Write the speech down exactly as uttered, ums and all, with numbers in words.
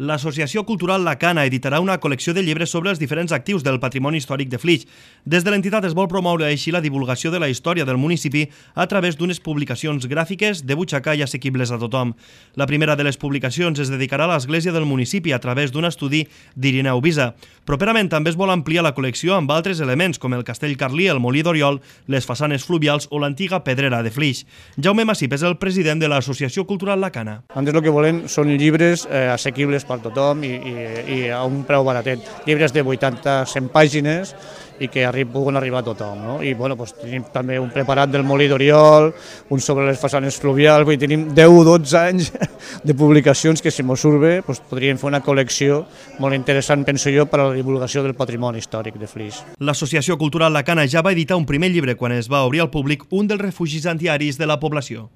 L'Associació Cultural La Cana editarà una col·lecció de llibres sobre els diferents actius del patrimoni històric de Flix. Des de l'entitat es vol promoure així la divulgació de la història del municipi a través d'unes publicacions gràfiques de butxaca i assequibles a tothom. La primera de les publicacions es dedicarà a l'església del municipi a través d'un estudi d'Irineu Visa. Properament també es vol ampliar la col·lecció amb altres elements com el castell carlí, el molí d'Oriol, les façanes fluvials o l'antiga pedrera de Flix. Jaume Massip és el president de l'Associació Cultural La Cana. Nosaltres el que volem són llibres eh, assequibles per tothom i, i, i a un preu baratet. Llibres de vuitanta a cent pàgines i que arri puguin arribar a tothom. No? I bueno, doncs, tenim també un preparat del molí d'Oriol, un sobre les façanes fluvials, vull dir, tenim deu o dotze anys de publicacions que, si mos surt bé, doncs, podríem fer una col·lecció molt interessant, penso jo, per a la divulgació del patrimoni històric de Flix. L'Associació Cultural La Cana ja va editar un primer llibre quan es va obrir al públic un dels refugis antiaris de la població.